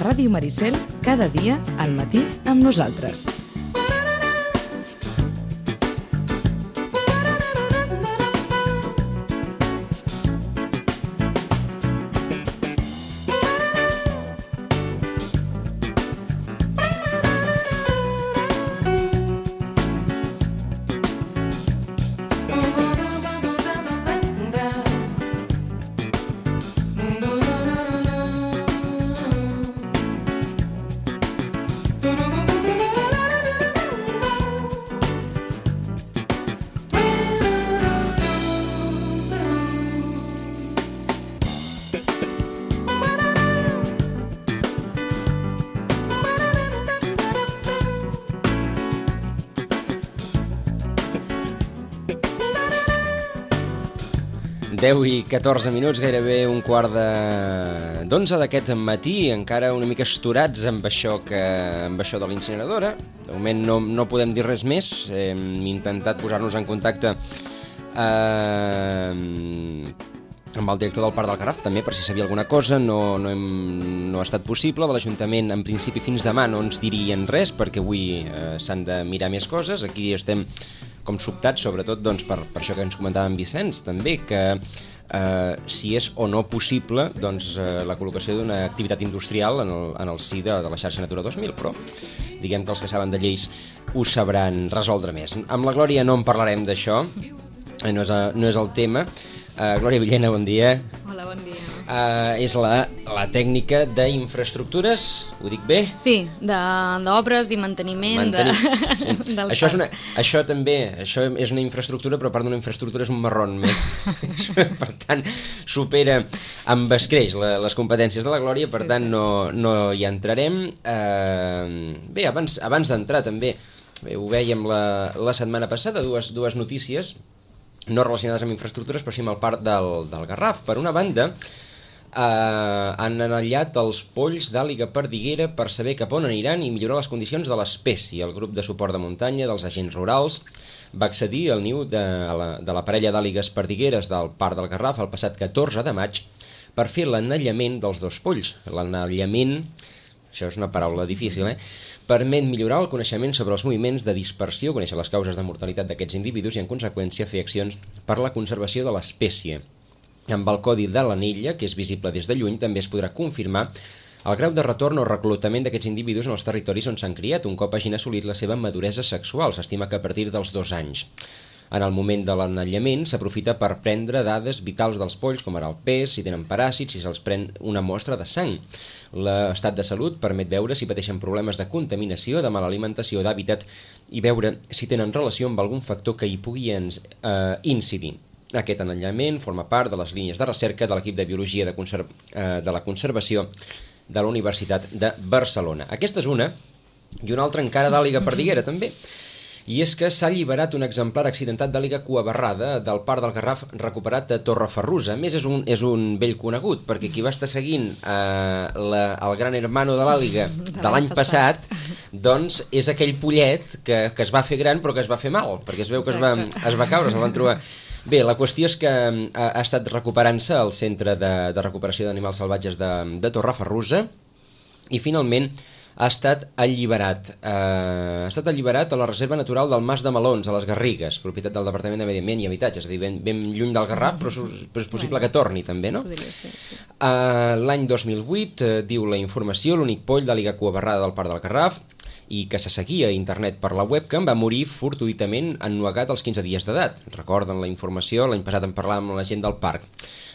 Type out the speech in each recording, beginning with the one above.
A Ràdio Maricel, cada dia, al matí, amb nosaltres. Deu i 14 minuts, gairebé un quart d'11 d'aquest matí, encara una mica esturats amb això de l'incineradora. De moment no podem dir res més. Hem intentat posar-nos en contacte amb el director del Parc del Garraf, també, per si sabia alguna cosa. No ha estat possible. De l'Ajuntament, en principi, fins demà no ens dirien res, perquè avui s'han de mirar més coses. Aquí estem com sobtats, sobretot doncs, per això que ens comentava en Vicenç, també, que si és o no possible doncs, la col·locació d'una activitat industrial en el si de la xarxa Natura 2000, però diguem que els que saben de lleis ho sabran resoldre més. Amb la Glòria no en parlarem d'això, no és el tema. Glòria Villena, bon dia. Hola, bon dia. És la tècnica d'infraestructures, ho dic bé? Sí, d'obres i manteniment. Això també, això és una infraestructura, però a part d'una infraestructura és un marrón. Per tant, supera amb escreix les competències de la Glòria, per tant no hi entrarem. Bé, abans d'entrar també, ho vèiem la setmana passada, dues notícies no relacionades amb infraestructures, però sí amb el Parc del Garraf. Per una banda, han anellat els polls d'àliga perdiguera per saber cap on aniran i millorar les condicions de l'espècie. El grup de suport de muntanya dels agents rurals va accedir al niu de la parella d'àligues perdigueres del Parc del Garraf el passat 14 de maig per fer l'anellament dels dos polls. L'anellament, això és una paraula difícil, permet millorar el coneixement sobre els moviments de dispersió, conèixer les causes de mortalitat d'aquests individus i, en conseqüència, fer accions per la conservació de l'espècie. Amb el codi de l'anella, que és visible des de lluny, també es podrà confirmar el grau de retorn o reclutament d'aquests individus en els territoris on s'han criat, un cop hagin assolit la seva maduresa sexual. S'estima que a partir dels 2 anys. En el moment de l'anellament s'aprofita per prendre dades vitals dels polls, com ara el pes, si tenen paràsits, si se'ls pren una mostra de sang. L'estat de salut permet veure si pateixen problemes de contaminació, de mala alimentació, d'hàbitat i veure si tenen relació amb algun factor que hi pugui incidir. Aquest anellament forma part de les línies de recerca de l'equip de Biologia de la Conservació de la Universitat de Barcelona. Aquesta és una, i una altra encara d'àliga perdiguera, també. I és que s'ha alliberat un exemplar accidentat d'àliga cuabarrada del Parc del Garraf recuperat a Torreferrusa. A més, és un vell conegut, perquè qui va estar seguint el gran hermano de l'àliga de l'any passat, doncs és aquell pollet que es va fer gran però que es va fer mal, perquè es veu que es va caure, se'l van trobar. Bé, la qüestió és que ha estat recuperant-se al Centre de Recuperació d'Animals Salvatges de Torreferrusa i finalment ha estat alliberat. Ha estat alliberat a la Reserva Natural del Mas de Melons, a les Garrigues, propietat del Departament de Medi Ambient i Habitatge, és a dir, ben lluny del Garraf, però és possible que torni també, no? Podria ser, sí. L'any 2008, diu la informació, l'únic poll d'àliga cuabarrada del Parc del Garraf i que se seguia a internet per la webcam va morir fortuïtament ennuegat als 15 dies d'edat. Recorden la informació, l'any passat en parlàvem amb la gent del parc.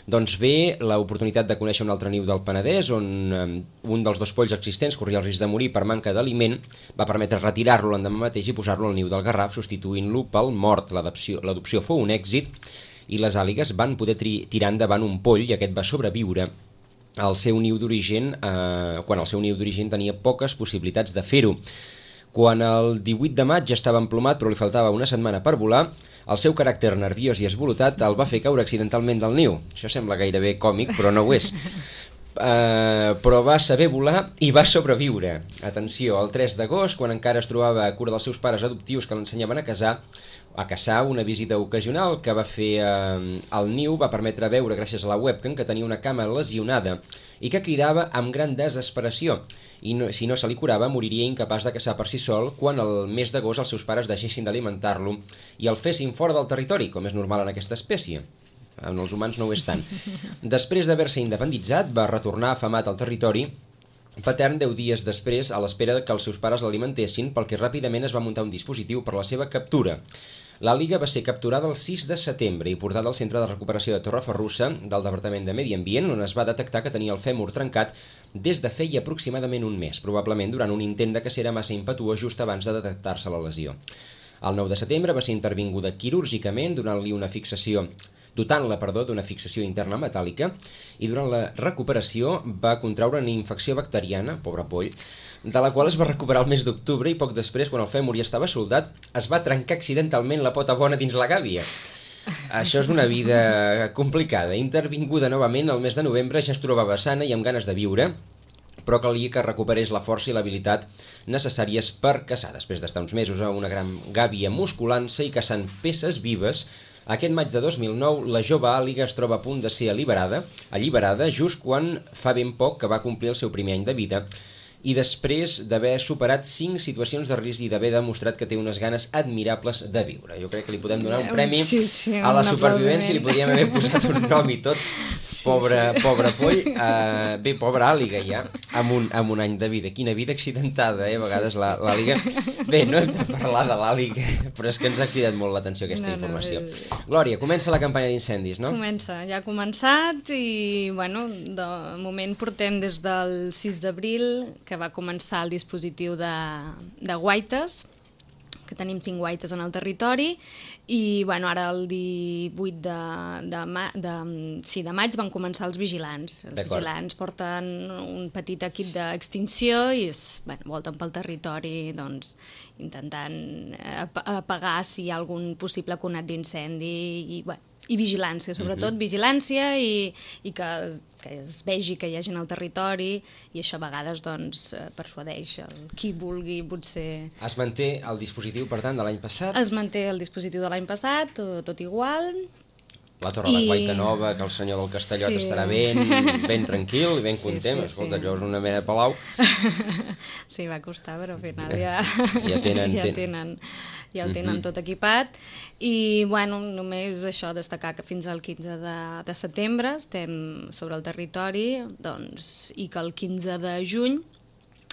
Doncs bé, l'oportunitat de conèixer un altre niu del Penedès, on un dels dos polls existents corria el risc de morir per manca d'aliment, va permetre retirar-lo l'endemà mateix i posar-lo al niu del Garraf, substituint-lo pel mort. L'adopció fou un èxit i les àligues van poder tirar endavant un poll i aquest va sobreviure al seu niu d'origen, quan el seu niu d'origen tenia poques possibilitats de fer-ho. Quan el 18 de maig ja estava emplomat però li faltava una setmana per volar, el seu caràcter nerviós i esvolotat el va fer caure accidentalment del niu. Això sembla gairebé còmic, però no ho és. però va saber volar i va sobreviure. Atenció, el 3 d'agost, quan encara es trobava a cura dels seus pares adoptius que l'ensenyaven a caçar, una visita ocasional que va fer al niu va permetre veure, gràcies a la webcam, que tenia una cama lesionada i que cridava amb gran desesperació. I si no se li curava, moriria incapaç de caçar per si sol quan el mes d'agost els seus pares deixessin d'alimentar-lo i el fessin fora del territori, com és normal en aquesta espècie. En els humans no ho és tant. Després d'haver-se independitzat, va retornar afamat al territori patern 10 dies després a l'espera que els seus pares l'alimentessin, pel que ràpidament es va muntar un dispositiu per la seva captura. L'àliga va ser capturada el 6 de setembre i portada al Centre de Recuperació de Torreferrussa del Departament de Medi Ambient, on es va detectar que tenia el fèmur trencat des de feia aproximadament un mes, probablement durant un intent de cacera massa impetuós just abans de detectar-se la lesió. El 9 de setembre va ser intervinguda quirúrgicament dotant-la d'una fixació interna metàl·lica i durant la recuperació va contraure una infecció bacteriana, pobre poll, de la qual es va recuperar el mes d'octubre i poc després, quan el fèmur ja estava soldat, es va trencar accidentalment la pota bona dins la gàbia. Això és una vida complicada. Intervinguda novament el mes de novembre ja es trobava sana i amb ganes de viure, però calia que recuperés la força i l'habilitat necessàries per caçar. Després d'estar uns mesos a una gran gàbia musculant-se i caçant peces vives, aquest maig de 2009 la jove àliga es troba a punt de ser alliberada just quan fa ben poc que va complir el seu primer any de vida i després d'haver superat 5 situacions de risc i d'haver demostrat que té unes ganes admirables de viure. Jo crec que li podem donar un premi a la supervivència, li podríem haver posat un nom i tot. Pobre poll, bé, pobra àliga ja, amb un any de vida. Quina vida accidentada, a vegades l'àliga. Bé, no hem de parlar de l'àliga, però és que ens ha cridat molt l'atenció aquesta informació. Glòria, comença la campanya d'incendis, no? Comença, ja ha començat i, bueno, de moment portem des del 6 d'abril, que va començar el dispositiu de guaites, que tenim 5 guaites en el territori, i bueno, ara el 18 de maig van començar els vigilants. Els vigilants porten un petit equip d'extinció i volten pel territori intentant apagar si hi ha algun possible conat d'incendi i vigilància, sobretot vigilància i que es vegi que hi ha gent al territori i això a vegades persuadeix qui vulgui potser... Es manté el dispositiu, per tant, de l'any passat? Es manté el dispositiu de l'any passat, tot igual. La Torre de Guaita Nova, que el senyor del Castellot estarà ben tranquil i ben content. Escolta, allò és una mena de palau. Sí, va costar, però al final ja ho tenen tot equipat. I, bueno, només això, destacar que fins al 15 de setembre estem sobre el territori i que el 15 de juny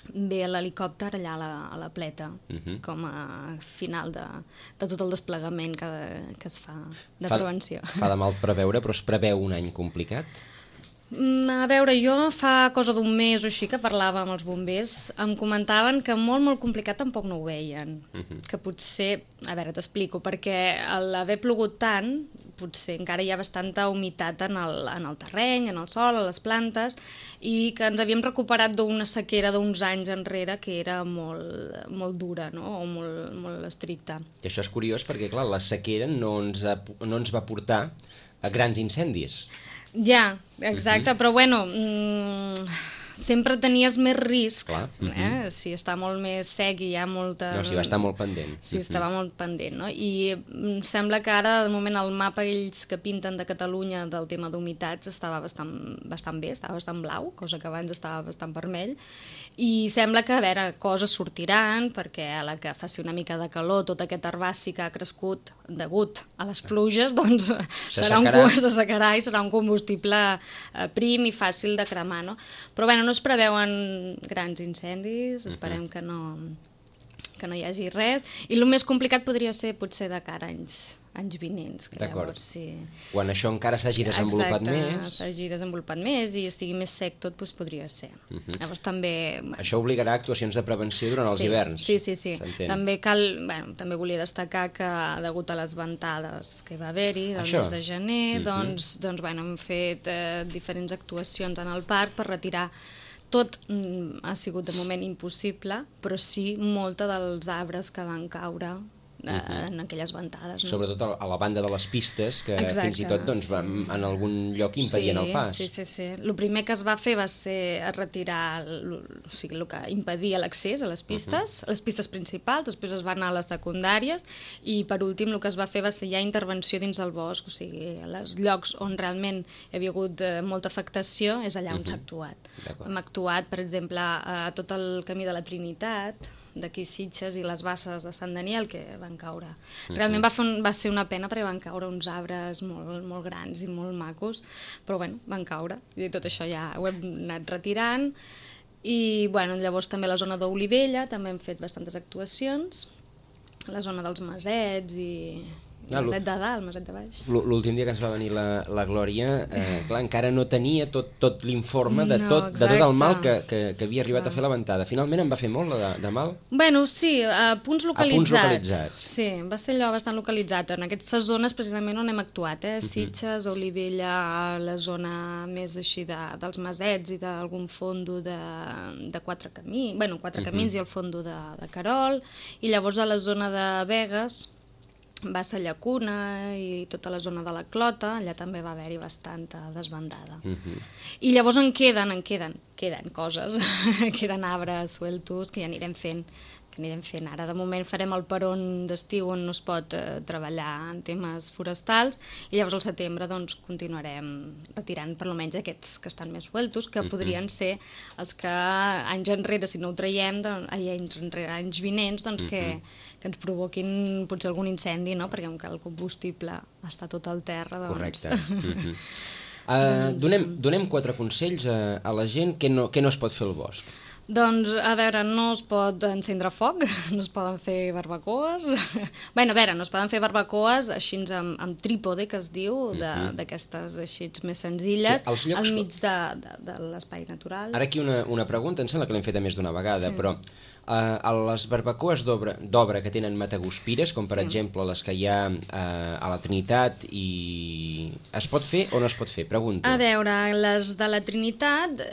ve l'helicòpter allà a la Pleta, com a final de tot el desplegament que es fa de prevenció. Fa de mal preveure, però es preveu un any complicat? A veure, jo fa cosa d'un mes o així que parlava amb els bombers, em comentaven que molt complicat tampoc no ho veien, que potser, a veure, t'explico, perquè a l'haver plogut tant, potser encara hi ha bastanta humitat en el terreny, en el sòl, a les plantes, i que ens havíem recuperat d'una sequera d'uns anys enrere que era molt dura, no? O molt estricta. I això és curiós perquè, clar, la sequera no ens va portar a grans incendis. Ja, exacte, però bueno, sempre tenies més risc, si està molt més sec i hi ha molta... No, si va estar molt pendent. Sí, estava molt pendent, no? I sembla que ara, de moment, el mapa ells que pinten de Catalunya del tema d'humitats estava bastant bé, estava bastant blau, cosa que abans estava bastant vermell, i sembla que, a veure, coses sortiran, perquè a la que faci una mica de calor, tot aquest herbaci que ha crescut degut a les pluges, doncs s'assecarà i serà un combustible prim i fàcil de cremar, no? Però, bueno, no es preveuen grans incendis, esperem que no hi hagi res, i el més complicat podria ser potser de cara a anys vinents. D'acord. Quan això encara s'hagi desenvolupat més... Exacte, s'hagi desenvolupat més i estigui més sec tot, doncs podria ser. Llavors també... Això obligarà actuacions de prevenció durant els hiverns. Sí. També també volia destacar que, degut a les ventades que va haver-hi del mes de gener, doncs hem fet diferents actuacions en el parc per retirar. Tot ha sigut de moment impossible, però sí molta dels arbres que van caure en aquelles ventades. No? Sobretot a la banda de les pistes, que fins i tot doncs, en algun lloc impedien el pas. Sí. El primer que es va fer va ser retirar el que impedia l'accés a les pistes principals, després es va anar a les secundàries i per últim el que es va fer va ser ja intervenció dins el bosc, o sigui, els llocs on realment hi havia hagut molta afectació és allà on s'ha actuat. Hem actuat, per exemple, a tot el camí de la Trinitat, d'aquí Sitges i les basses de Sant Daniel, que van caure. Realment va ser una pena perquè van caure uns arbres molt grans i molt macos, però bueno, van caure i tot això ja ho hem anat retirant. I bueno, llavors també la zona d'Olivella també hem fet bastantes actuacions, la zona dels Masets i Maset de dalt, Maset de baix. L'últim dia que ens va venir la Glòria, clar, encara no tenia tot l'informe de tot el mal que havia arribat a fer la ventada. Finalment en va fer molt de mal? Bueno, sí, a punts localitzats. Sí, va ser allò bastant localitzat. En aquestes zones precisament on hem actuat, Sitges, Olivella, la zona més així dels Masets i d'algun fondo de Quatre Camins, bueno, Quatre Camins i el fondo de Querol, i llavors a la zona de Begues, va ser Llacuna i tota la zona de la Clota, allà també va haver-hi bastanta desbandada. I llavors en queden coses, queden arbres sueltos que ja anirem fent, ara. De moment farem el peron d'estiu on no es pot treballar en temes forestals i llavors al setembre doncs, continuarem retirant per almenys aquests que estan més sueltos, que podrien ser els que anys enrere, si no ho traiem, anys vinents, doncs que ens provoquin potser algun incendi, no? Perquè el combustible està tot al terra. Doncs... Correcte. Donem 4 consells a la gent que no es pot fer al bosc. Doncs, a veure, no es pot encendre foc, no es poden fer barbacoes. Bé, a veure, no es poden fer barbacoes així amb trípode, que es diu, d'aquestes així més senzilles, al mig de l'espai natural. Ara aquí una pregunta, em sembla que l'hem fet més d'una vegada, però a les barbacoes d'obra que tenen mataguspires, com per exemple les que hi ha a la Trinitat, es pot fer o no es pot fer? Pregunto. A veure, les de la Trinitat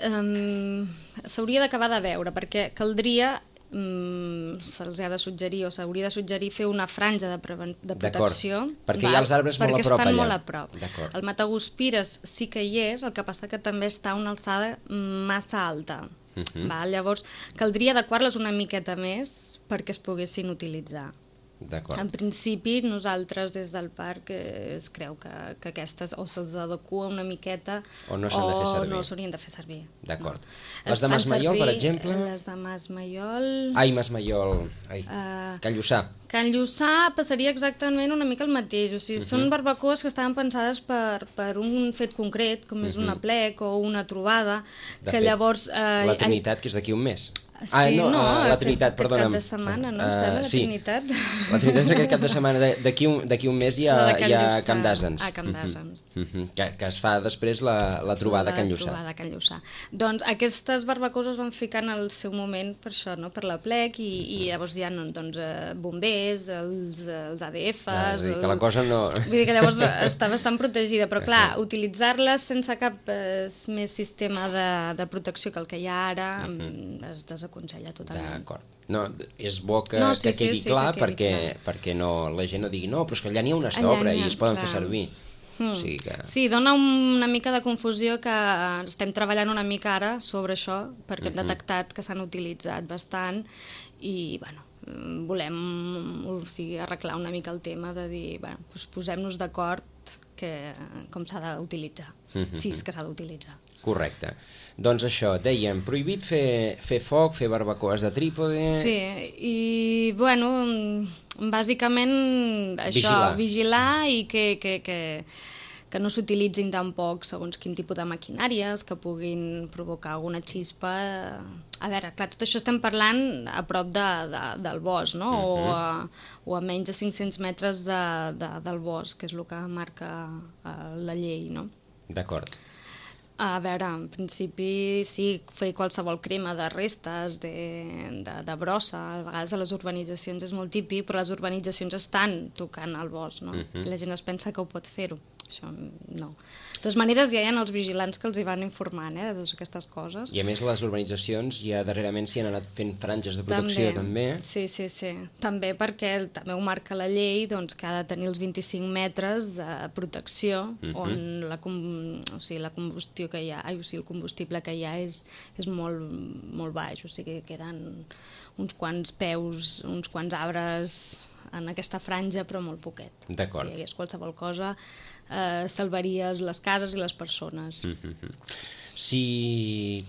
s'hauria d'acabar de veure, perquè caldria, se'ls ha de suggerir o s'hauria de suggerir fer una franja de protecció. Perquè hi ha els arbres molt a prop allà. Perquè estan molt a prop. El mataguspires sí que hi és, el que passa que també està a una alçada massa alta. Llavors, caldria adequar-les una miqueta més perquè es poguessin utilitzar. En principi, nosaltres des del parc es creu que aquestes o se'ls adequa una miqueta o no s'haurien de fer servir. D'acord. Les de Masmaiol, per exemple? Les de Masmaiol... Masmaiol. Can Lluçà. Can Lluçà passaria exactament una mica el mateix. O sigui, són barbacoes que estaven pensades per un fet concret, com és un aplec o una trobada, que llavors... La Trinitat, que és d'aquí un mes. Sí, la Trinitat, perdona'm. Aquest cap de setmana, no? Em sembla, la Trinitat. La Trinitat és aquest cap de setmana. D'aquí un mes hi ha Camp d'Àsens. Camp d'Àsens. Que es fa després la trobada a Can Lluçà. La trobada a Can Lluçà. Doncs aquestes barbacoes es van ficar en el seu moment per això, no? Per l'aplec, i llavors hi ha bombers, els ADFs... Que la cosa no... Vull dir que llavors està bastant protegida, però clar, utilitzar-les sense cap més sistema de protecció que el que hi ha ara es desaconsella totalment. D'acord. No, és bo que quedi clar perquè la gent no digui no, però és que allà n'hi ha unes d'obra i es poden fer servir. Sí, dona una mica de confusió que estem treballant una mica ara sobre això perquè hem detectat que s'han utilitzat bastant i bueno, volem arreglar una mica el tema de dir, posem-nos d'acord com s'ha d'utilitzar, si és que s'ha d'utilitzar. Correcte. Doncs això, dèiem, prohibit fer foc, fer barbacoes de trípode... Sí, i bueno, bàsicament això, vigilar i que no s'utilitzin tampoc segons quin tipus de maquinàries que puguin provocar alguna xispa. A veure, clar, tot això estem parlant a prop del bosc, no? O a menys de 500 metres del bosc, que és el que marca la llei, no? D'acord. A veure, en principi sí, fer qualsevol crema de restes, de brossa, a vegades a les urbanitzacions és molt típic, però les urbanitzacions estan tocant el bosc, no? I la gent es pensa que ho pot fer-ho. això no. De totes maneres, ja hi ha els vigilants que els hi van informant de totes aquestes coses. I a més les urbanitzacions ja darrerament s'hi han anat fent franges de protecció també. Sí. També perquè també ho marca la llei, doncs, que ha de tenir els 25 metres de protecció on la combustió que hi ha, el combustible que hi ha és molt, molt baix, o sigui, queden uns quants peus, uns quants arbres en aquesta franja, però molt poquet. D'acord. Si hi hagués qualsevol cosa, salvaries les cases i les persones.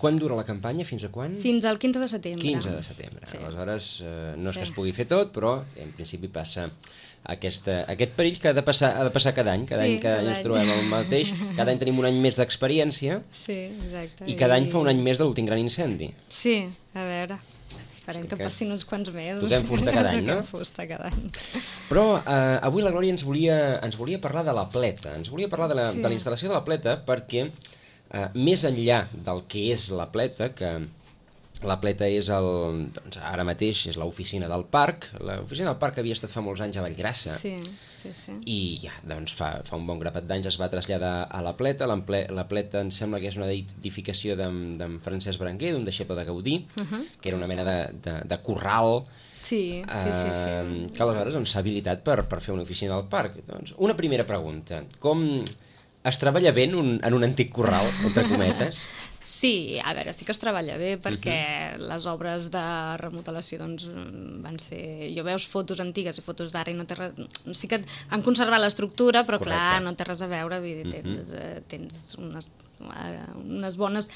Quan dura la campanya? Fins a quan? Fins al 15 de setembre. 15 de setembre. Sí. Aleshores, no és que es pugui fer tot, però en principi passa aquest perill que ha de passar cada any. Cada any ens trobem el mateix. Cada any tenim un any més d'experiència. Sí, exacte. I cada any fa un any més de l'últim gran incendi. Sí, a veure... Esperem que passin uns quants mesos. Toquem fusta cada any, no? Toquem fusta cada any. Però avui la Glòria ens volia parlar de la pleta. Ens volia parlar de la instal·lació de la pleta perquè, més enllà del que és la pleta, que la pleta és doncs ara mateix és l'oficina del parc. L'oficina del parc havia estat fa molts anys a Vallgrassa. Sí. I ja, doncs fa un bon grapat d'anys es va traslladar a la pleta. La pleta em sembla que és una edificació d'en Francesc Berenguer, d'un deixeble de Gaudí, que era una mena de corral. Sí. Que aleshores s'ha habilitat per fer una oficina del parc. Doncs, una primera pregunta. Com es treballa bé en un antic corral, entre cometes? Sí, a veure, sí que es treballa bé perquè les obres de remodelació doncs, van ser... Jo veus fotos antigues i fotos d'ara i no té res... Sí que han conservat l'estructura, però clar, no té res a veure. Vull dir, tens unes bones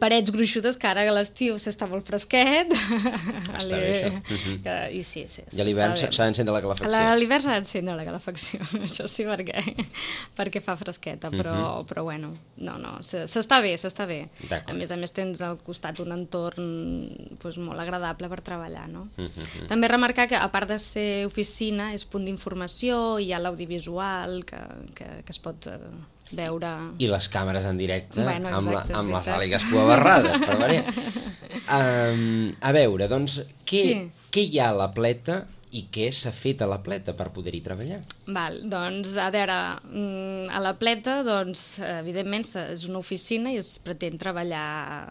parets gruixudes que ara a l'estiu s'està molt fresquet. Està bé, això. I sí. I a l'hivern s'ha d'encendre la calefacció. A l'hivern s'ha d'encendre la calefacció, això sí, perquè fa fresqueta, però bueno, no, s'està bé. A més tens al costat un entorn molt agradable per treballar, no? També remarcar que a part de ser oficina és punt d'informació, hi ha l'audiovisual que es pot veure... I les càmeres en directe, exacte, amb les àligues cuabarrades, per veure. A veure, doncs, què hi ha a la pleta i què s'ha fet a la pleta per poder-hi treballar? Doncs, a veure, a la pleta, doncs, evidentment, és una oficina i es pretén treballar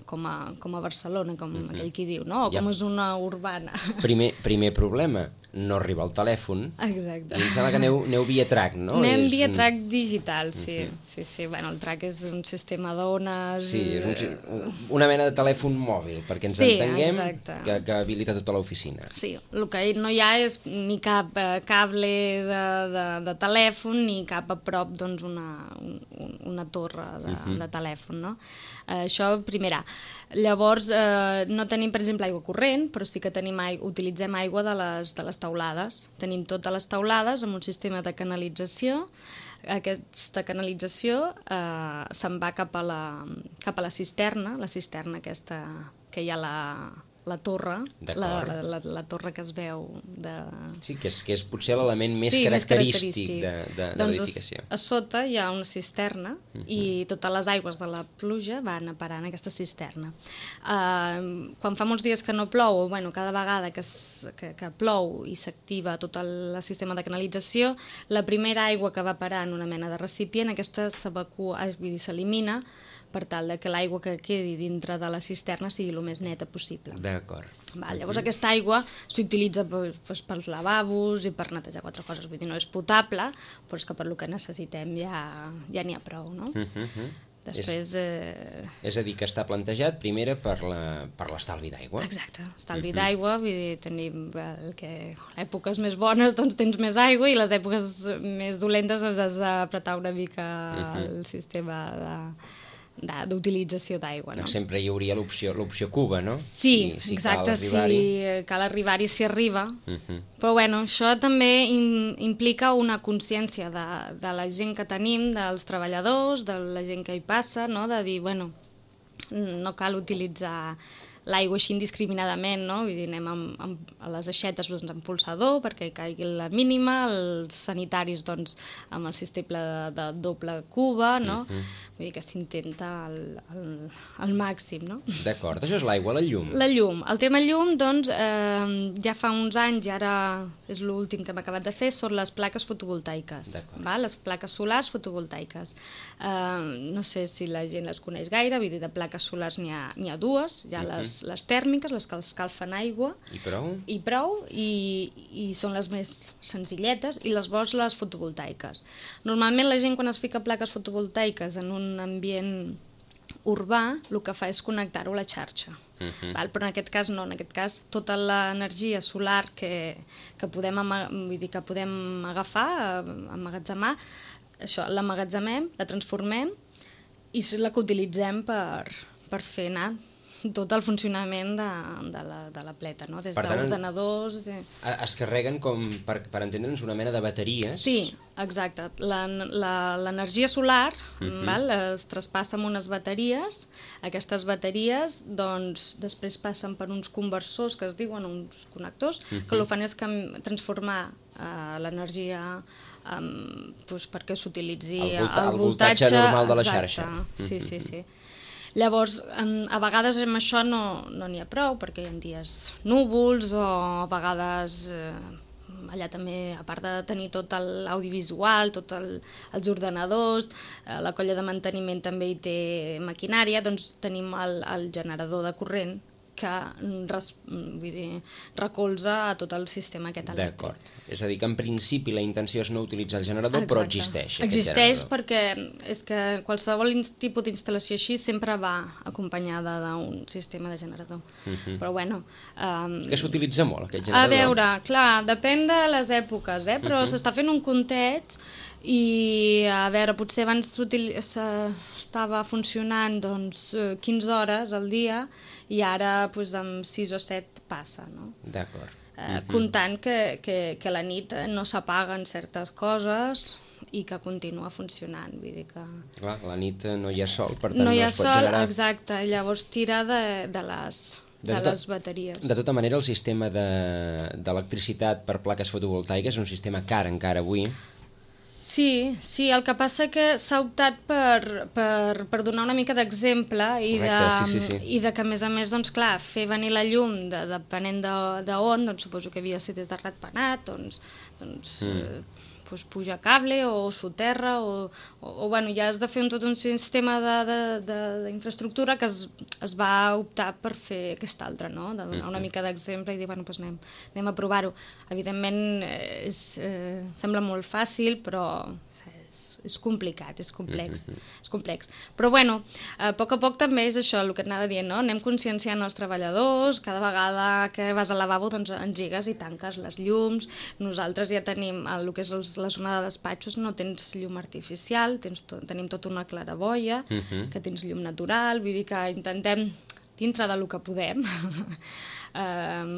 com a Barcelona, com aquell qui diu, no? O com és una urbana. Primer problema, no arriba el telèfon. Exacte. I em sembla que aneu via track, no? Anem via track digital, sí. Bueno, el track és un sistema d'ones... Sí, és una mena de telèfon mòbil, perquè ens entenguem, que habilita tota l'oficina. Sí, el que no hi ha és ni cap cable de telèfon ni cap a prop doncs, una torre de telèfon, no? Això, primera. Llavors, no tenim, per exemple, aigua corrent, però sí que utilitzem aigua de les teulades. Tenim totes les teulades amb un sistema de canalització. Aquesta canalització se'n va cap a la cisterna aquesta que hi ha la torre, la torre que es veu Sí, que és potser l'element més característic de l'edificació. A sota hi ha una cisterna i totes les aigües de la pluja van a parar en aquesta cisterna. Quan fa molts dies que no plou, cada vegada que plou i s'activa tot el sistema de canalització, la primera aigua que va parar en una mena de recipient, aquesta s'elimina per tal que l'aigua que quedi dintre de la cisterna sigui el més neta possible. D'acord. Llavors aquesta aigua s'utilitza pels lavabos i per netejar quatre coses. Vull dir, no és potable, però és que per lo que necessitem ja n'hi ha prou, no? Després... És a dir, que està plantejat primera per l'estalvi d'aigua. Exacte, estalvi d'aigua, vull dir, tenim èpoques més bones doncs tens més aigua i les èpoques més dolentes has d'apretar una mica el sistema d'utilització d'aigua, no? Sempre hi hauria l'opció cuba, no? Sí, exacte, si cal arribar-hi, s'hi arriba. Però bueno, això també implica una consciència de la gent que tenim, dels treballadors, de la gent que hi passa, no? De dir, bueno, no cal utilitzar l'aigua així indiscriminadament, no? Vull dir, anem a les aixetes doncs, amb pulsador perquè hi caigui la mínima, els sanitaris doncs, amb el sistema de doble cuba, no? Vull dir que s'intenta al màxim, no? D'acord, això és l'aigua, la llum. La llum. El tema llum, doncs, ja fa uns anys, i ara és l'últim que hem acabat de fer, són les plaques fotovoltaiques. Les plaques solars fotovoltaiques. No sé si la gent les coneix gaire, vull dir, de plaques solars n'hi ha dues, hi ha les tèrmiques, les que escalfen aigua. I prou? I són les més senzilletes, i les les fotovoltaiques. Normalment la gent quan es fica plaques fotovoltaiques en un ambient urbà, el que fa és connectar-ho a la xarxa. Però en aquest cas no, en aquest cas tota l'energia solar que podem agafar, emmagatzemar, això, l'emmagatzemem, la transformem i és la que utilitzem per fer anar tot el funcionament de la pleta, no? Des d'ordenadors... Es carreguen com, per entendre'ns, una mena de bateries. Sí, exacte. L'energia solar es traspassa amb unes bateries. Aquestes bateries doncs, després passen per uns conversors que es diuen uns connectors, que el que fan és transformar l'energia perquè s'utilitzi el voltatge normal de la xarxa. Sí. Llavors, a vegades amb això no n'hi ha prou, perquè hi ha dies núvols o a vegades allà també, a part de tenir tot l'audiovisual, tots els ordenadors, la colla de manteniment també hi té maquinària, doncs tenim el generador de corrent que recolza a tot el sistema aquest elèctric. D'acord. És a dir, que en principi la intenció és no utilitzar el generador, però existeix. Existeix perquè és que qualsevol tipus d'instal·lació així sempre va acompanyada d'un sistema de generador. Però bueno... Que s'utilitza molt, aquest generador? A veure, clar, depèn de les èpoques, però s'està fent un compteig i, a veure, potser abans estava funcionant 15 hores al dia i ara amb 6 o 7 passa, no? D'acord. Comptant que a la nit no s'apaguen certes coses i que continua funcionant, vull dir que... Clar, a la nit no hi ha sol, per tant no es pot generar... generar... Exacte, llavors tira de les bateries. De tota manera, el sistema d'electricitat per plaques fotovoltaiques és un sistema car encara avui. Sí, el que passa que s'ha optat per donar una mica d'exemple i de que, a més, doncs, clar, fer venir la llum depenent d'on, doncs suposo que havia de ser des de Ratpenat, doncs pujar cable o soterra o bueno, ja has de fer tot un sistema d'infraestructura que es va optar per fer aquest altre, no? De donar una mica d'exemple i dir, bueno, doncs anem a provar-ho. Evidentment sembla molt fàcil, però és complicat, és complex. Però bueno, a poc també és això, el que et anava dient, no? Anem conscienciant els treballadors, cada vegada que vas al lavabo doncs engegues i tanques les llums. Nosaltres ja tenim el que és la zona de despatxos, no tens llum artificial, tenim tota una claraboia, que tens llum natural, vull dir que intentem, dintre del que podem,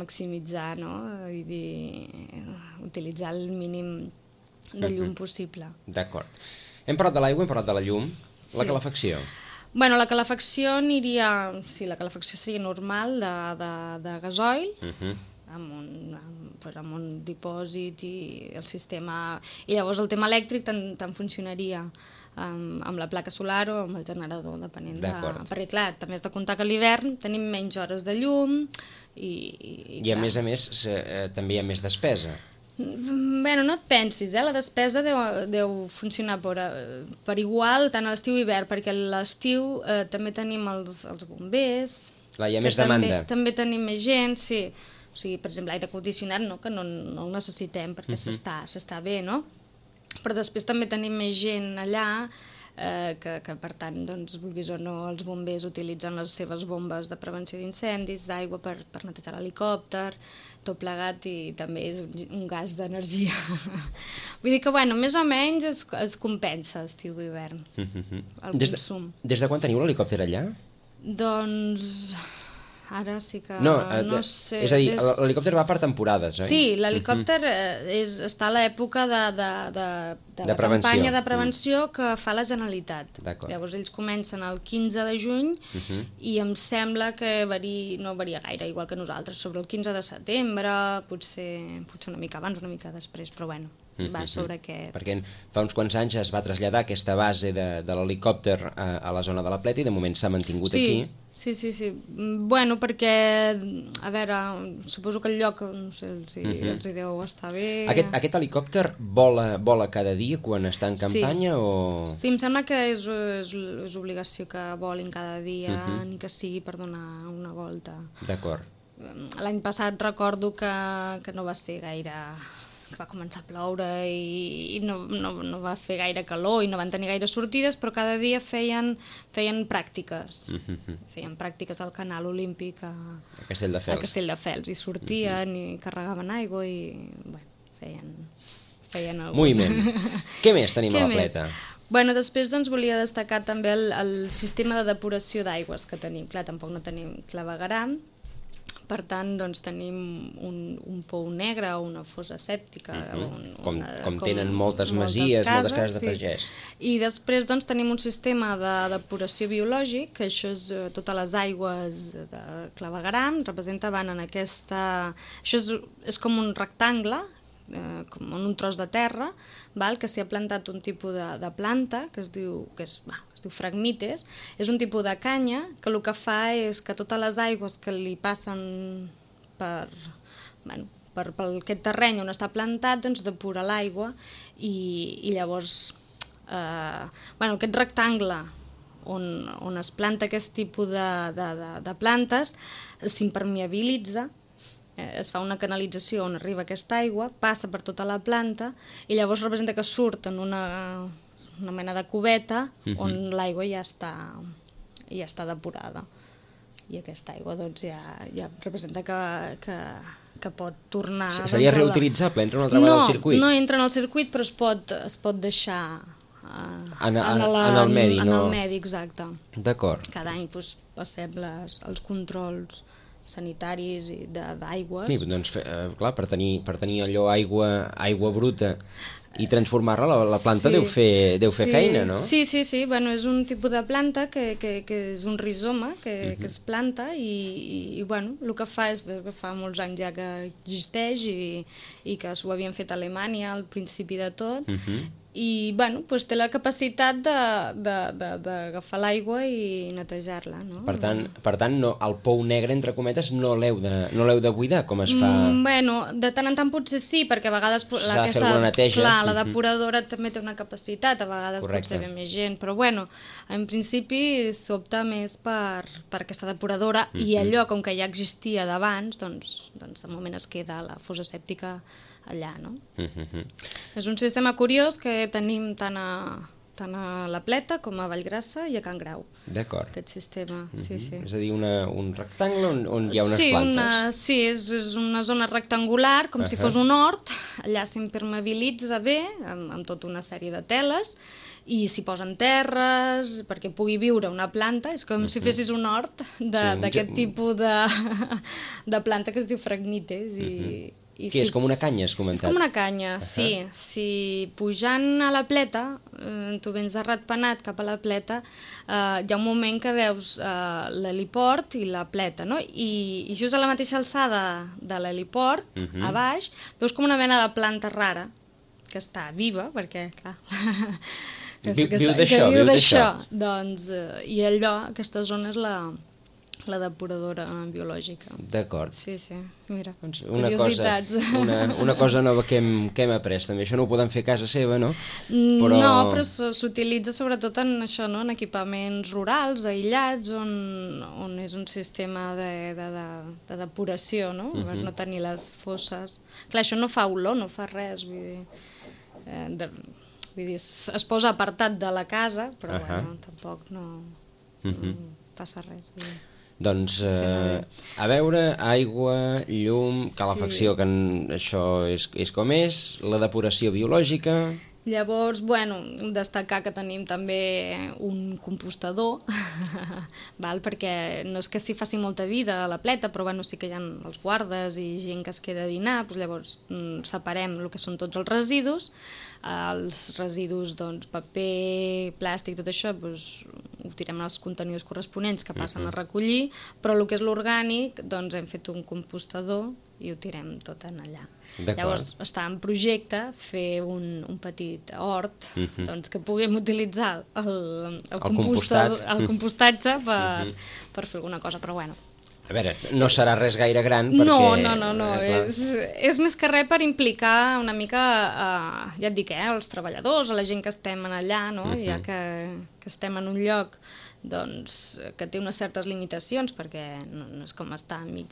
maximitzar, no? Vull dir, utilitzar el mínim de llum possible. D'acord. Hem parlat de l'aigua, hem parlat de la llum. La calefacció. Bueno, la calefacció aniria... Sí, la calefacció seria normal, de gasoil, amb un dipòsit i el sistema... I llavors el tema elèctric tant funcionaria amb la placa solar o amb el generador, depenent de... Perquè, clar, també has de comptar que a l'hivern tenim menys hores de llum i a més també hi ha més despesa. Bé, no et pensis, la despesa deu funcionar per igual tant a l'estiu i hivern, perquè a l'estiu també tenim els bombers... Hi ha més demanda. També tenim més gent, sí. O sigui, per exemple, l'aire condicionat, que no el necessitem perquè s'està bé, no? Però després també tenim més gent allà que per tant, vulguis o no, els bombers utilitzen les seves bombes de prevenció d'incendis, d'aigua per netejar l'helicòpter, tot plegat, i també és un gas d'energia. Vull dir que, bueno, més o menys es compensa estiu i hivern, el consum. Des de quan teniu l'helicòpter allà? Doncs Ara sí que No, no sé. és a dir, l'helicòpter va per temporades, oi? Sí, l'helicòpter està a l'època de prevenció. campanya de prevenció que fa la Generalitat. D'acord. Llavors ells comencen el 15 de juny i em sembla que no varia gaire, igual que nosaltres, sobre el 15 de setembre, potser una mica abans, una mica després, però bueno, va sobre aquest... Perquè fa uns quants anys es va traslladar aquesta base de l'helicòpter a la zona de la Pleta i de moment s'ha mantingut aquí. Sí. Bueno, perquè, a veure, suposo que el lloc, no sé, els hi deu estar bé... Aquest helicòpter vola cada dia quan està en campanya o...? Sí, em sembla que és obligació que volin cada dia, ni que sigui per donar una volta. D'acord. L'any passat recordo que no va ser gaire... que va començar a ploure i no va fer gaire calor i no van tenir gaire sortides, però cada dia feien pràctiques. Feien pràctiques al canal olímpic a Castelldefels i sortien i carregaven aigua i feien algun... Moviment. Què més tenim a la Pleta? Bueno, després doncs, volia destacar també el sistema de depuració d'aigües que tenim. Clar, tampoc no tenim clavegueram, per tant, doncs, tenim un pou negre o una fossa sèptica. Com tenen moltes masies, moltes cases de pagès. I després doncs, tenim un sistema de depuració biològic, que això és totes les aigües de clavegueram, van en aquesta... Això és com un rectangle, com en un tros de terra, que s'hi ha plantat un tipus de planta que es diu Phragmites. És un tipus de canya que el que fa és que totes les aigües que li passen per aquest terreny on està plantat, doncs depura l'aigua i llavors aquest rectangle on es planta aquest tipus de plantes s'impermeabilitza, es fa una canalització on arriba aquesta aigua, passa per tota la planta i llavors representa que surt en una mena de cubeta on l'aigua ja està depurada. I aquesta aigua doncs, ja representa que pot tornar... Seria reutilitzable? Entra una altra vegada al circuit? No entra en el circuit, però es pot deixar en el medi, no? En el medi, exacte. D'acord. Cada any passem els controls sanitaris i d'aigües. Sí, doncs, clar, per tenir allò aigua bruta i transformar-la, la planta deu fer feina, no? Sí, bueno, és un tipus de planta que és un rizoma que es planta i bueno, el que fa és que fa molts anys ja que existeix i que s'ho havien fet a Alemanya al principi de tot i bueno, doncs té la capacitat d'agafar l'aigua i netejar-la, no? Per tant el pou negre, entre cometes, no l'heu de buidar, com es fa? Bueno, de tant en tant potser sí, perquè a vegades s'ha de fer alguna neteja. Clar, la depuradora també té una capacitat, a vegades potser ve més gent, però bueno, en principi s'opta més per aquesta depuradora i allò, com que ja existia d'abans, doncs de moment es queda la fossa sèptica allà, no? És un sistema curiós que tenim tant a la Pleta com a Vallgrassa i a Can Grau. D'acord. Aquest sistema, sí. És a dir, un rectangle on hi ha unes plantes. Sí, és una zona rectangular, com si fos un hort, allà s'impermeabilitza bé, amb tota una sèrie de teles, i s'hi posen terres perquè pugui viure una planta, és com si fessis un hort d'aquest tipus de planta que es diu Phragmites és com una canya, has comentat? És com una canya, sí. Si pujant a la Pleta, tu vens de Ratpenat cap a la Pleta, hi ha un moment que veus l'heliport i la Pleta, no? I just a la mateixa alçada de l'heliport, a baix, veus com una mena de planta rara, que està viva, perquè, clar... Viu d'això. Doncs, i allò, aquesta zona és la depuradora biològica. D'acord. Sí, mira, curiositats. Una cosa nova que hem après, també. Això no ho podem fer a casa seva, no? No, però s'utilitza sobretot en això, no? En equipaments rurals, aïllats, on és un sistema de depuració, no? Per no tenir les fosses. Clar, això no fa olor, no fa res, vull dir, es posa apartat de la casa, però bueno, tampoc no passa res. Doncs, a veure, aigua, llum, calefacció, que això és com és, la depuració biològica... Llavors, bueno, destacar que tenim també un compostador, val? Perquè no és que s'hi faci molta vida a la pleta, però bueno, sí que hi ha els guardes i gent que es queda a dinar, doncs llavors separem el que són tots els residus, doncs, paper, plàstic, tot això, doncs, ho tirem als contenidors corresponents que passen a recollir, però el que és l'orgànic, doncs hem fet un compostador i ho tirem tot en allà. Llavors està en projecte fer un petit hort doncs, que puguem utilitzar el compostatge per fer alguna cosa, però bueno. A veure, no serà res gaire gran perquè... No, és més que res per implicar una mica, ja et dic, els treballadors, a la gent que estem allà, no? Ja que estem en un lloc doncs, que té unes certes limitacions, perquè no és com estar enmig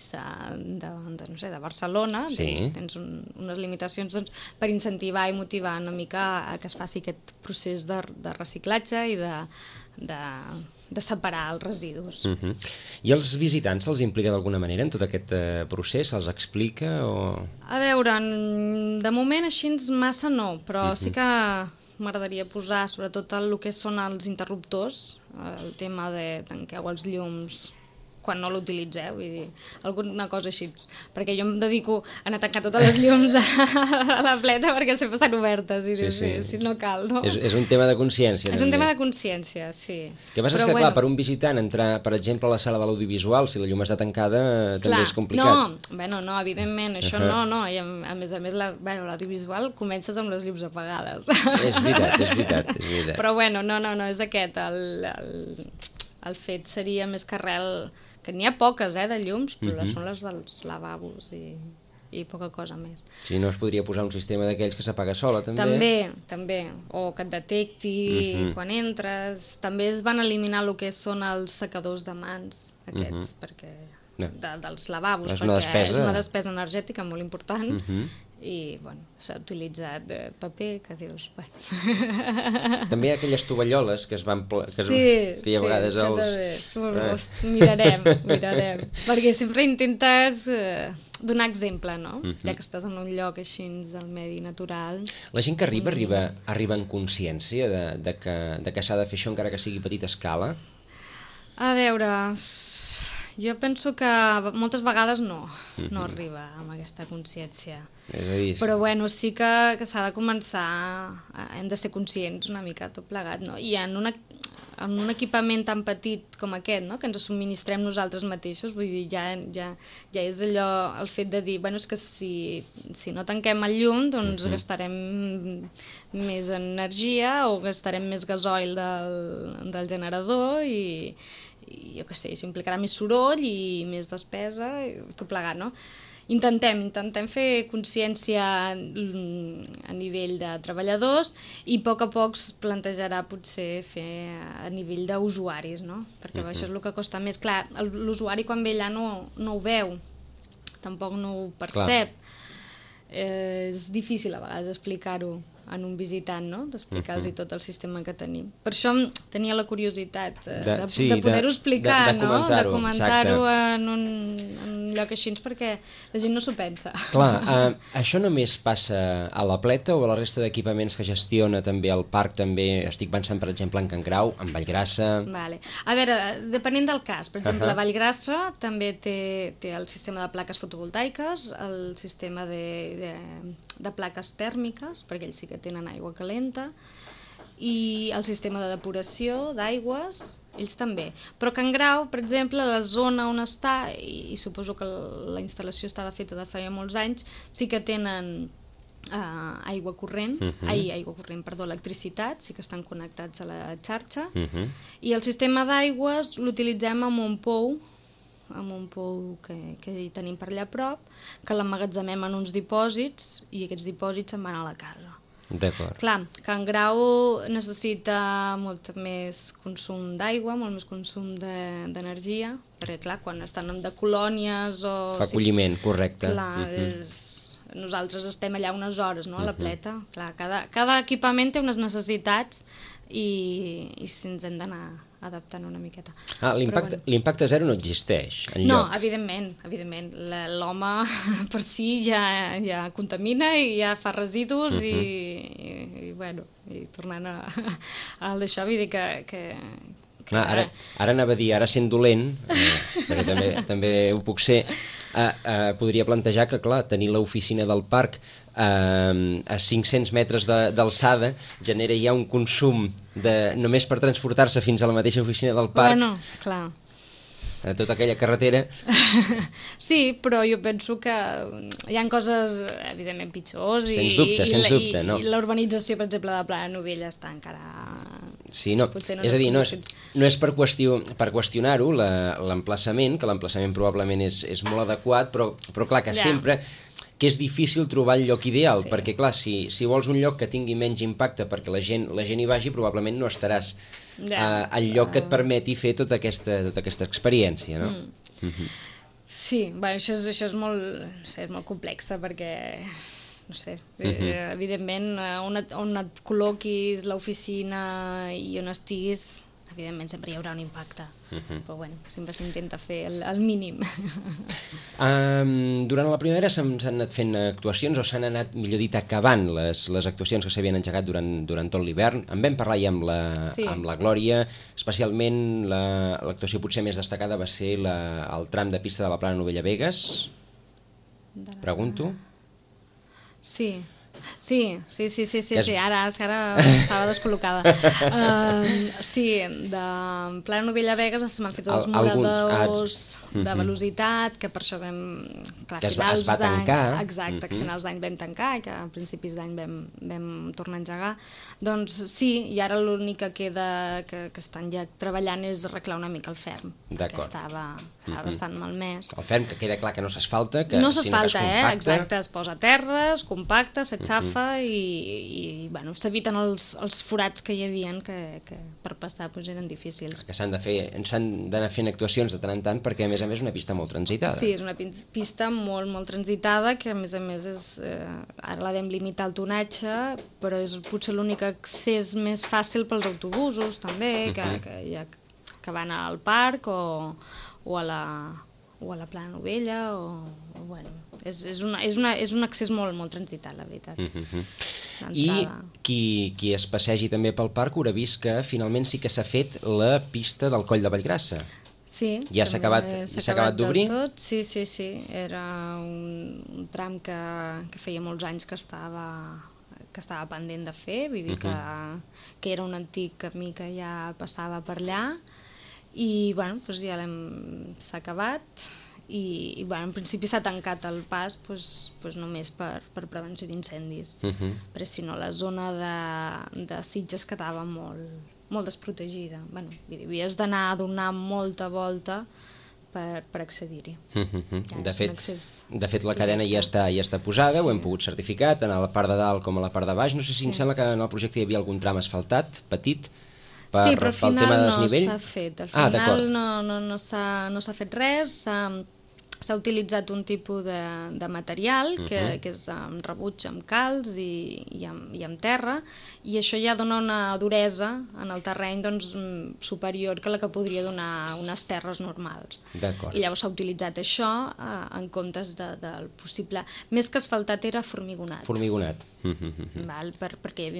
de Barcelona, tens unes limitacions per incentivar i motivar una mica a que es faci aquest procés de reciclatge i de separar els residus. I els visitants se'ls implica d'alguna manera en tot aquest procés? Se'ls explica? A veure, de moment així massa no, però sí que m'agradaria posar sobretot el que són els interruptors, el tema de tanqueu els llums quan no l'utilitzeu, vull dir, alguna cosa així, perquè jo em dedico a anar a tancar totes les llums a la pleta perquè sempre estan obertes i si no cal, no? És un tema de consciència. És un tema de consciència, sí. El que passa és que, clar, per un visitant entrar, per exemple, a la sala de l'audiovisual, si la llum està tancada, també és complicat. No, evidentment, això no, i a més l'audiovisual comences amb les llums apagades. És veritat. Però bueno, no, és aquest, el fet seria més que res que n'hi ha poques, de llums, però són les dels lavabos i poca cosa més. Si no, es podria posar un sistema d'aquells que s'apaga sola, també? També, o que et detecti quan entres. També es van eliminar el que són els secadors de mans, aquests, perquè dels lavabos, perquè és una despesa energètica molt important, i bueno, s'ha utilitzat paper, que dius... També hi ha aquelles tovalloles que es van... Sí, hi ha vegades mirarem, perquè sempre intentes donar exemple, no? Ja que estàs en un lloc així del medi natural. La gent que arriba en consciència de que s'ha de fer això encara que sigui a petita escala? A veure... Jo penso que moltes vegades no arriba amb aquesta consciència. És a dir... Però bueno, sí que s'ha de començar, hem de ser conscients una mica tot plegat, no? I en un equipament tan petit com aquest, no? Que ens subministrem nosaltres mateixos, vull dir, ja és allò, el fet de dir, bueno, és que si no tanquem el llum, doncs gastarem més energia o gastarem més gasoil del generador i jo què sé, això implicarà més soroll i més despesa, tot plegat, no? Intentem fer consciència a nivell de treballadors i a poc es plantejarà potser fer a nivell d'usuaris, no? Perquè això és el que costa més. Clar, l'usuari quan ve allà no ho veu, tampoc no ho percep. És difícil a vegades explicar-ho en un visitant, no? D'explicar-los tot el sistema que tenim. Per això tenia la curiositat de poder-ho explicar, de comentar-ho en un lloc així, perquè la gent no s'ho pensa. Clar, això només passa a la Pleta o a la resta d'equipaments que gestiona també el parc? També estic pensant, per exemple, en Can Grau, en Vallgrassa... Vale. A veure, depenent del cas, per exemple, la Vallgrassa també té el sistema de plaques fotovoltaiques, el sistema de plaques tèrmiques, perquè ells sí que tenen aigua calenta, i el sistema de depuració d'aigües, ells també. Però Can Grau, per exemple, la zona on està, i suposo que la instal·lació estava feta de feia molts anys, sí que tenen aigua corrent, electricitat, sí que estan connectats a la xarxa, i el sistema d'aigües l'utilitzem amb un pou que hi tenim per allà a prop, que l'emmagatzemem en uns dipòsits i aquests dipòsits se'n van a la casa. D'acord. Clar, Can Grau necessita molt més consum d'aigua, molt més consum d'energia, perquè clar, quan estan de colònies o... Fa acolliment, correcte. Clar, nosaltres estem allà unes hores, no?, a la Pleta. Clar, cada equipament té unes necessitats i si ens hem d'anar adaptant una miqueta. L'impacte zero no existeix enlloc. No, evidentment. L'home per si ja contamina i ja fa residus i tornant a d'això, vull dir que ara anava a dir, ara sent dolent, perquè també ho puc ser, podria plantejar que, clar, tenir l'oficina del parc a 500 metres d'alçada genera ja un consum només per transportar-se fins a la mateixa oficina del parc. Bueno, clar. A tota aquella carretera. Sí, però jo penso que hi ha coses, evidentment, pitjors. Sens dubte, no? I l'urbanització, per exemple, de Plana Novella està encara... Sí, no. És a dir, no és per qüestionar-ho, l'emplaçament, que l'emplaçament probablement és molt adequat, però clar, que sempre... que és difícil trobar el lloc ideal, perquè clar, si vols un lloc que tingui menys impacte perquè la gent hi vagi, probablement no estaràs al lloc que et permeti fer tota aquesta experiència, no? Sí, això és molt complexa perquè, no sé, evidentment on et col·loquis l'oficina i on estiguis, evidentment sempre hi haurà un impacte, però bueno, sempre s'intenta fer el mínim. Durant la primavera s'han anat fent actuacions o s'han anat, millor dit, acabant les actuacions que s'havien engegat durant tot l'hivern. En vam parlar ja amb la Glòria, especialment l'actuació potser més destacada va ser el tram de pista de la Plana Novella-Begues. Pregunto? Sí, ara estava descol·locada. Sí, de Plana Novella-Begues s'han fet els muradors de velocitat, que per això vam... Que es va tancar. Exacte, que a finals d'any vam tancar i que a principis d'any vam tornar a engegar. Doncs sí, i ara l'únic que queda que estan ja treballant és arreglar una mica el ferm, que estava bastant malmès. El ferm, que queda clar que no s'asfalta, no s'asfalta, exacte, es posa a terra, es compacta, s'aixafa i bueno, s'eviten els forats que hi havia que per passar eren difícils. Que s'han d'anar fent actuacions de tant en tant perquè a més és una pista molt transitada. Sí, és una pista molt, molt transitada que a més ara la vam limitar el tonatge, però és potser l'únic accés més fàcil pels autobusos també, que van al parc o a la Plana Novella bueno, és un accés molt, molt transitat, la veritat. I qui es passegi també pel parc haurà vist que finalment sí que s'ha fet la pista del Coll de Vallgrassa. Sí, ja s'ha acabat d'obrir? Sí, era un tram que feia molts anys que estava pendent de fer, vull dir que era un antic camí que ja passava per allà i bueno, doncs ja s'ha acabat i bueno, en principi s'ha tancat el pas només per prevenció d'incendis, perquè si no la zona de Sitges quedava molt desprotegida. Bueno, havies d'anar a donar molta volta per accedir-hi. De fet, la cadena ja està posada, ho hem pogut certificar, tant a la part de dalt com a la part de baix. No sé si em sembla que en el projecte hi havia algun tram asfaltat, petit, pel tema de desnivell. Sí, però al final no s'ha fet. Al final no s'ha fet res. S'ha utilitzat un tipus de material que és amb rebuig, amb calç i amb terra, i això ja dona una duresa en el terreny superior que la que podria donar unes terres normals. I llavors s'ha utilitzat això en comptes del possible... Més que asfaltat era formigonat. Perquè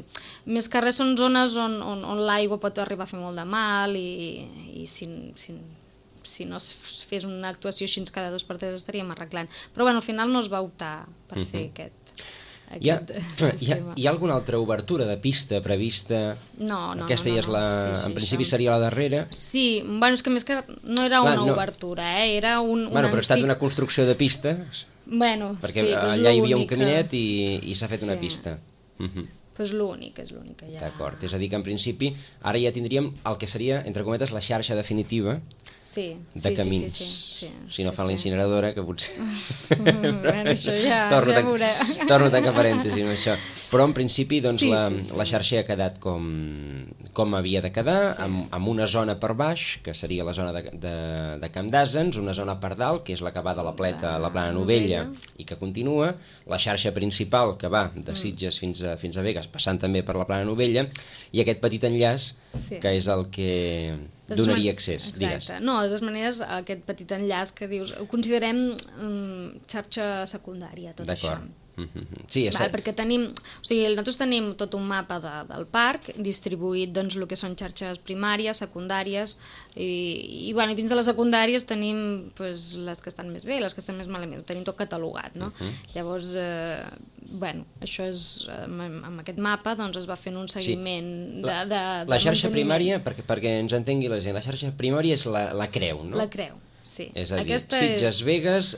més que res són zones on l'aigua pot arribar a fer molt de mal i si no es fes una actuació així cada 2 per 3 estaríem arreglant. Però bueno, al final no es va optar per fer aquest sistema. Hi ha alguna altra obertura de pista prevista? No. Aquesta ja és en principi seria la darrera? Sí, bueno, és que més que no era una obertura, era un però ha estat una construcció de pista? Perquè allà hi havia un caminet i s'ha fet una pista. És l'únic que hi ha. D'acord, és a dir que en principi ara ja tindríem el que seria, entre cometes, la xarxa definitiva de camins. Si no fan la incineradora, que potser... Això ja veurem. Torno a tancar parèntesi amb això. Però en principi la xarxa ha quedat com havia de quedar, amb una zona per baix, que seria la zona de Camp d'Àsens, una zona per dalt, que és la que va de la Pleta a la Plana Novella i que continua, la xarxa principal que va de Sitges fins a Begues, passant també per la Plana Novella, i aquest petit enllaç que és el que donaria accés, digues. Exacte. No, de totes maneres, aquest petit enllaç que dius, ho considerem xarxa secundària, tot això. D'acord. Sí, Perquè tenim, o sigui, nosaltres tenim tot un mapa del parc distribuït, doncs, el que són xarxes primàries, secundàries, i dins de les secundàries tenim pues, les que estan més bé, les que estan més malament, ho tenim tot catalogat, no? Llavors, això és, amb aquest mapa doncs, es va fent un seguiment de la xarxa primària, perquè ens entengui la gent, la xarxa primària és la creu, no? La creu. Sí. És a dir, Sitges, Begues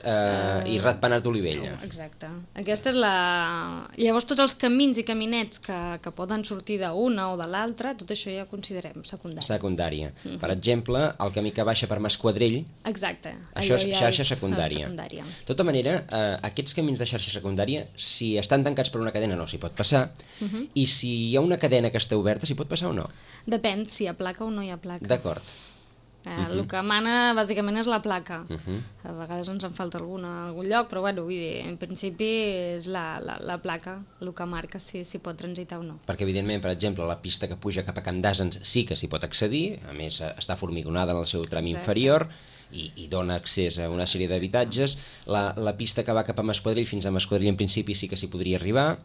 i Ratpenat Olivella. Exacte. Aquesta és la... Llavors tots els camins i caminets que poden sortir d'una o de l'altra, tot això ja ho considerem secundari. Secundària. Per exemple, el camí que baixa per Masquadrell, exacte. Això és xarxa secundària. De tota manera, aquests camins de xarxa secundària, si estan tancats per una cadena no s'hi pot passar, i si hi ha una cadena que està oberta, s'hi pot passar o no? Depèn si hi ha placa o no hi ha placa. D'acord. El que mana bàsicament és la placa. A vegades ens en falta alguna a algun lloc, però vull dir, en principi és la placa el que marca si pot transitar o no. Perquè evidentment, per exemple, la pista que puja cap a Camp d'Àsens sí que s'hi pot accedir, a més està formigonada en el seu tram inferior i dona accés a una sèrie d'habitatges. La pista que va cap a Masquadrell, fins a Masquadrell en principi sí que s'hi podria arribar,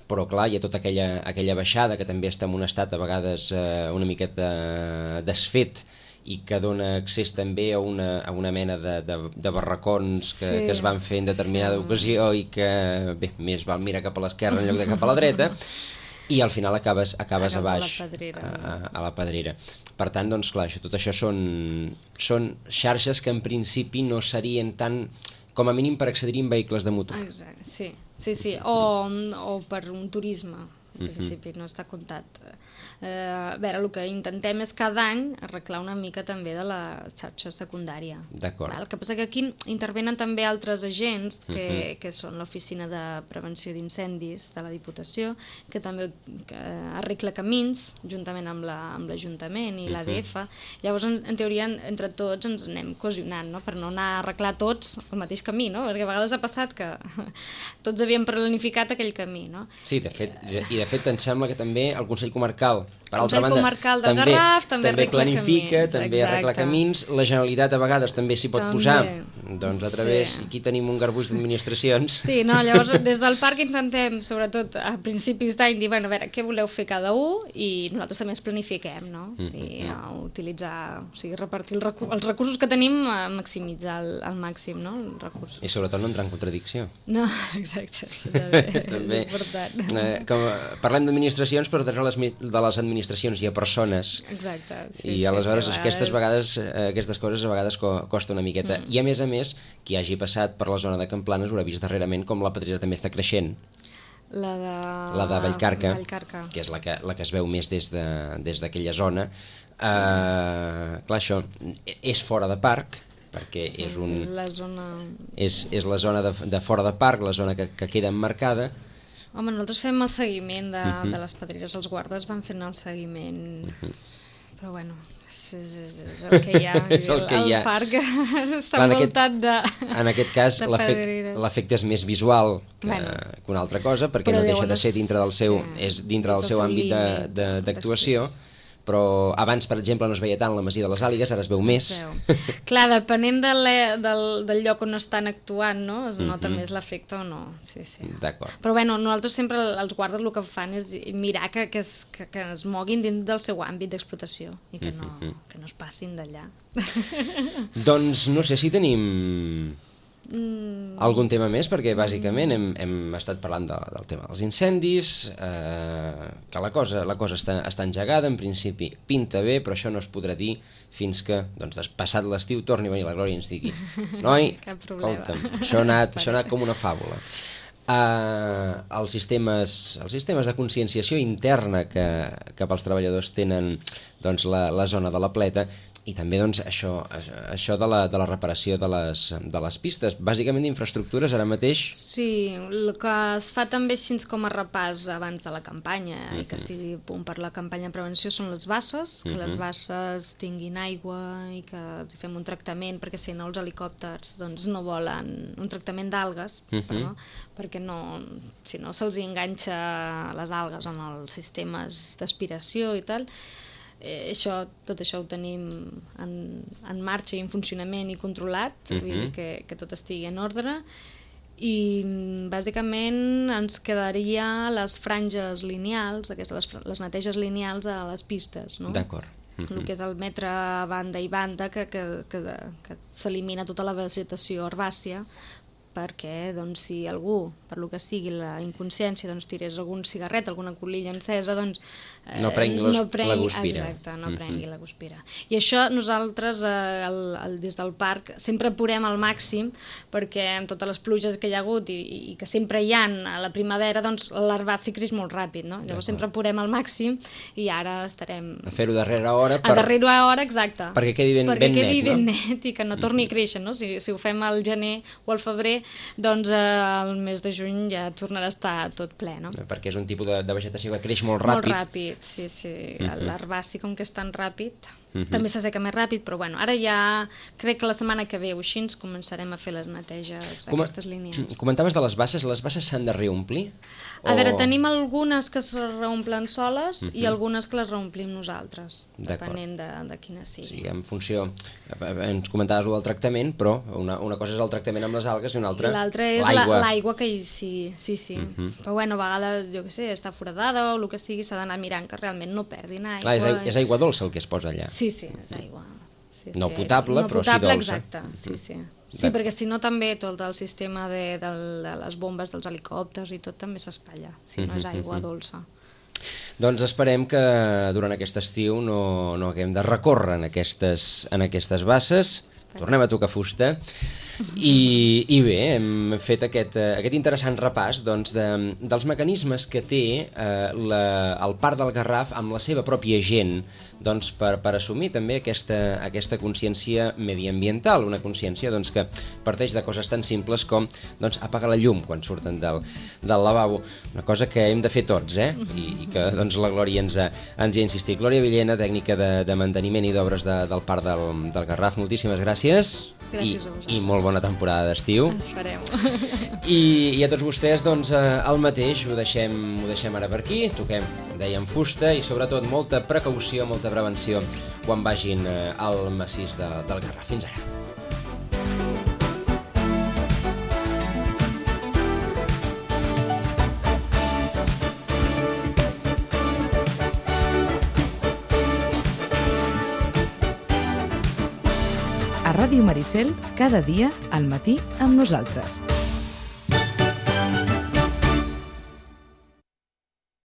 però clar, hi ha tota aquella baixada que també està en un estat a vegades una miqueta desfet i que dona accés també a una mena de barracons que es van fer en determinada ocasió i que, bé, més val mirar cap a l'esquerra en lloc de cap a la dreta, i al final acabes a baix, a la Pedrera. Per tant, doncs clar, tot això són xarxes que en principi no serien tan, com a mínim per accedir en vehicles de motor. Exacte, sí. O per un turisme, en principi no està comptat. A veure, el que intentem és cada any arreglar una mica també de la xarxa secundària. D'acord. El que passa que aquí intervenen també altres agents que són l'Oficina de Prevenció d'Incendis de la Diputació, que també arregla camins juntament amb l'Ajuntament i l'ADF. Llavors, en teoria, entre tots ens anem cohesionant, no? Per no anar a arreglar tots el mateix camí, no? Perquè a vegades ha passat que tots havíem planificat aquell camí, no? Sí, de fet em sembla que també el Consell Comarcal, per altra banda, del Garraf també planifica, camins, també arregla camins, la Generalitat a vegades també s'hi pot posar, doncs a través, aquí tenim un garbuix d'administracions. Sí, no, llavors des del parc intentem, sobretot a principis d'any, dir, bueno, a veure, què voleu fer cada un, i nosaltres també ens planifiquem, no? I utilitzar, o sigui, repartir els recursos que tenim, maximitzar al màxim, no? Els recursos. I sobretot no entrar en contradicció. No, exacte, sí, també és important. Parlem d'administracions, però de les administracions hi ha persones. Exacte. I aleshores aquestes coses a vegades costa una miqueta. I a més, qui hagi passat per la zona de Camplanes haurà vist darrerament com la Pedrera també està creixent. La de Vallcarca, que és la que es veu més des d'aquella zona. Clar, això és fora de parc, perquè és la zona de fora de parc, la zona que queda emmarcada. Home, nosaltres fem el seguiment de les pedreres, els guardes van fent el seguiment, però bueno, és el que hi ha, el parc està envoltat de pedreres. En aquest cas l'efecte és més visual que una altra cosa, perquè no deixa de ser dintre del seu àmbit d'actuació. Però abans, per exemple, no es veia tant la Masia de les Àligues, ara es veu més. Clar, depenent del lloc on estan actuant, no? Es nota més l'efecte o no. Sí. D'acord. Però bueno, nosaltres sempre els guardes el que fan és mirar que es moguin dins del seu àmbit d'explotació i que no es passin d'allà. Doncs no sé si tenim algun tema més, perquè bàsicament hem estat parlant del tema dels incendis, que la cosa està engegada, en principi pinta bé, però això no es podrà dir fins que, passat l'estiu, torni a venir la Glòria i ens digui: noi, escolta'm, això ha anat com una fàbula. Els sistemes de conscienciació interna que pels treballadors tenen la zona de la Pleta, i també això de la reparació de les pistes, bàsicament d'infraestructures ara mateix. Sí, el que es fa també així com a repàs abans de la campanya i que estigui a punt per la campanya de prevenció són les basses, que les basses tinguin aigua i que fem un tractament, perquè si no els helicòpters no volen, un tractament d'algues, perquè si no se'ls enganxa les algues en els sistemes d'aspiració i tal. tot això ho tenim en marxa i en funcionament i controlat, vull dir que tot estigui en ordre, i bàsicament ens quedaria les franges lineals, les neteges lineals a les pistes, no? D'acord. El que és el metre banda i banda, que s'elimina tota la vegetació herbàcia, perquè doncs, si algú, per lo que sigui la inconsciència, doncs, tirés algun cigarret, alguna colilla encesa, doncs no prengui la guspira. Exacte, no prengui la guspira. I això nosaltres des del parc sempre apurem al màxim, perquè amb totes les pluges que hi ha hagut i que sempre hi ha a la primavera, doncs l'herbaci creix molt ràpid, no? Llavors sempre apurem al màxim i ara estarem... A fer-ho darrere hora. A darrere hora, exacte. Perquè quedi ben net i que no torni a créixer, no? Si ho fem al gener o al febrer, doncs el mes de juny ja tornarà a estar tot ple, no? Perquè és un tipus de vegetació que creix molt ràpid. Molt ràpid, sí. L'herbaci, com que és tan ràpid, també s'asseca més ràpid, però bueno, ara ja crec que la setmana que ve o així ens començarem a fer les neteges aquestes línies. Comentaves de les basses s'han de reomplir? A veure, tenim algunes que es reomplen soles i algunes que les reomplim nosaltres, depenent de quina sigui. Sí, en funció, ens comentaves del tractament, però una cosa és el tractament amb les algues i una altra l'altra és l'aigua que hi sigui, sí. Però bueno, a vegades, jo què sé, està foradada o el que sigui, s'ha d'anar mirant que realment no perdin aigua. És aigua dolça el que es posa allà. Sí, és aigua. No potable, però sí dolça. Exacte, sí. Sí, perquè si no també tot el sistema de les bombes dels helicòpters i tot també s'espatlla, si no és aigua dolça. Doncs esperem que durant aquest estiu no haguem de recórrer en aquestes basses. Tornem a tocar fusta. I bé, hem fet aquest interessant repàs dels mecanismes que té el Parc del Garraf amb la seva pròpia gent per assumir també aquesta consciència mediambiental, una consciència que parteix de coses tan simples com apagar la llum quan surten del lavabo, una cosa que hem de fer tots, i que la Glòria ens ha insistit. Glòria Villena, tècnica de manteniment i d'obres del Parc del Garraf, moltíssimes gràcies. Gràcies a vosaltres. I molt bona temporada d'estiu. Esperem. I a tots vostès, el mateix, ho deixem ara per aquí, toquem, dèiem, fusta i sobretot molta precaució, molta prevenció quan vagin al massís del Garraf. Fins ara. A Ràdio Maricel, cada dia al matí amb nosaltres.